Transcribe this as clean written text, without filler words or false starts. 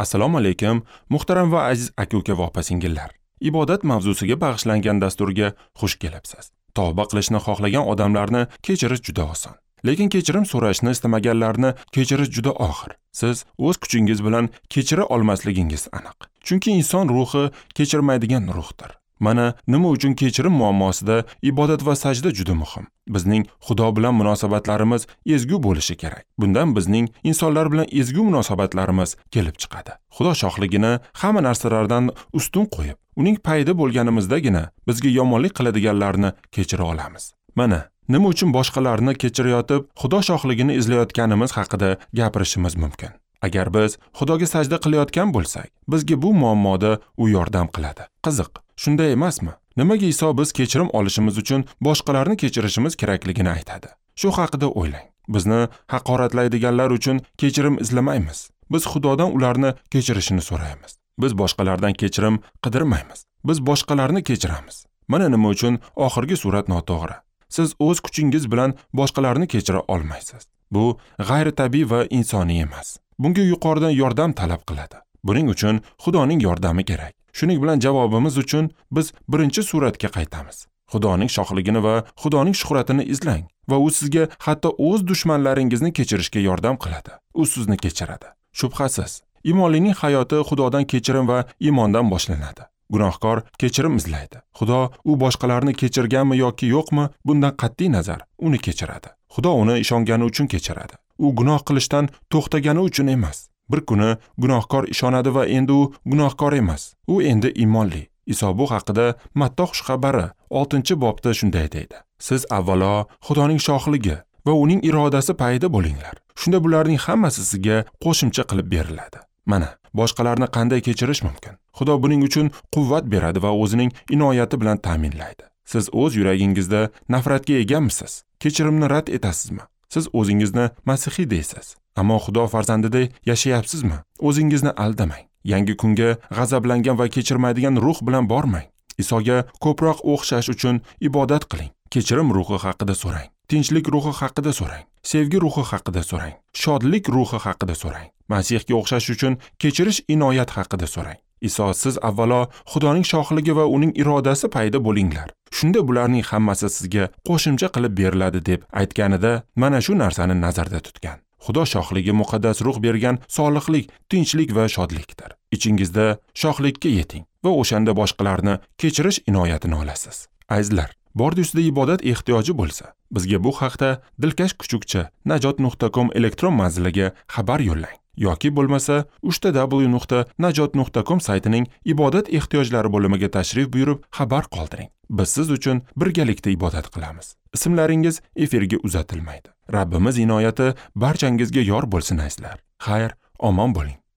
Assalomu alaykum, muhtaram va aziz aka-uka va opa-singillar. Ibodat mavzusiga bag'ishlangan dasturga xush kelibsiz. Tavba qilishni xohlagan odamlarni kechirish juda oson. Lekin kechirim so'rashni istamaganlarni kechirish juda og'ir. Siz o'z kuchingiz bilan kechira olmasligingiz aniq. Chunki inson ruhi kechirmaydigan ruhdir. Mana nima uchun kechirim muammosida ibodat va sajda juda muhim. Bizning Xudo bilan munosabatlarimiz ezgu bo'lishi kerak. Bundan bizning insonlar bilan ezgu munosabatlarimiz kelib chiqadi. Xudo shohligini hamma narsalardan ustun qo'yib, uning payida bo'lganimizdagina bizga yomonlik qiladiganlarni kechira olamiz. Mana nima uchun boshqalarni kechirayotib, Xudo shohligini izlayotganimiz haqida gapirishimiz mumkin. Agar biz Xudoga sajda qilayotgan bo'lsak, bizga bu muammoda u yordam qiladi. Qiziq, shunday emasmi? Nimaga Iso biz kechirim olishimiz uchun boshqalarni kechirishimiz kerakligini aytadi? Shu haqida o'ylang. Bizni haqoratlaydiganlar uchun kechirim izlamaymiz. Biz Xudodan ularni kechirishini so'raymiz. Biz boshqalardan kechirim qidirmaymiz. Biz boshqalarni kechiramiz. Mana nima uchun oxirgi surat noto'g'ri. Siz o'z kuchingiz bilan boshqalarni kechira olmaysiz. Bu g'ayritabiiy va insoniy emas. Bunga yuqoridan yordam talab qiladi. Buning uchun Xudoning yordami kerak. Shuning bilan javobimiz uchun biz birinchi suratga qaytamiz. Xudoning shohligini va Xudoning shuhratini izlang va u sizga hatto o'z dushmanlaringizni kechirishga yordam qiladi. U sizni kechiradi. Shubhasiz, imonlining hayoti Xudodan kechirim va iymondan boshlanadi. Gunohkor kechirim izlaydi. Xudo u boshqalarni kechirganmi yoki yo'qmi, bundan qat'iy nazar uni kechiradi. Xudo uni ishongani uchun kechiradi. U gunoh qilishdan to'xtagani uchun emas. Bir kuni gunohkor ishonadi va endi u gunohkor emas. U endi iymonli. Iso bu haqida Matta xushxabari 6-bobda shunday deydi: Siz avvalo Xudoning shohligi va uning irodasi payida bo'linglar. Shunda bularning hammasi sizga qo'shimcha qilib beriladi. Mana, boshqalarni qanday kechirish mumkin? Xudo buning uchun quvvat beradi va o'zining inoyati bilan ta'minlaydi. Siz o'z yuragingizda nafratga egamisiz? Kechirimni rad etasizmi? Siz o'zingizni masihiy deysiz, ammo Xudo farzandidek yashayapsizmi? O'zingizni aldamang. Yangi kunga g'azablangan va kechirmaydigan ruh bilan bormang. Isoga ko'proq o'xshash uchun ibodat qiling. Kechirim ruhi haqida so'rang. Tinchlik ruhi haqida so'rang. Sevgi ruhi haqida so'rang. Shodlik ruhi haqida so'rang. Masihga o'xshash uchun kechirish inoyat haqida so'rang. Iso siz avvalo Xudoning shohligi va uning irodasi payda bo'linglar. Shunda bularning hammasi sizga qo'shimcha qilib beriladi deb aytganida mana shu narsani nazarda tutgan. Xudo shohligi muqaddas ruh bergan solihlik, tinchlik va shodlikdir. Ichingizda shohlikka yeting va o'shanda boshqalarni kechirish inoyatini olasiz. Azizlar, bordi ustida ibodat ehtiyoji bo'lsa, bizga bu haqda dilkash kuchukcha najot.com elektron manziliga xabar yo'llang yoki bo'lmasa www.najot.com saytining ibodat ehtiyojlari bo'limiga tashrif buyurib xabar qoldiring. Biz siz uchun birgalikda ibodat qilamiz. Ismlaringiz efirga uzatilmaydi. Rabbimiz inoyati barchangizga yor bo'lsin azizlar. Xayr, omon bo'ling.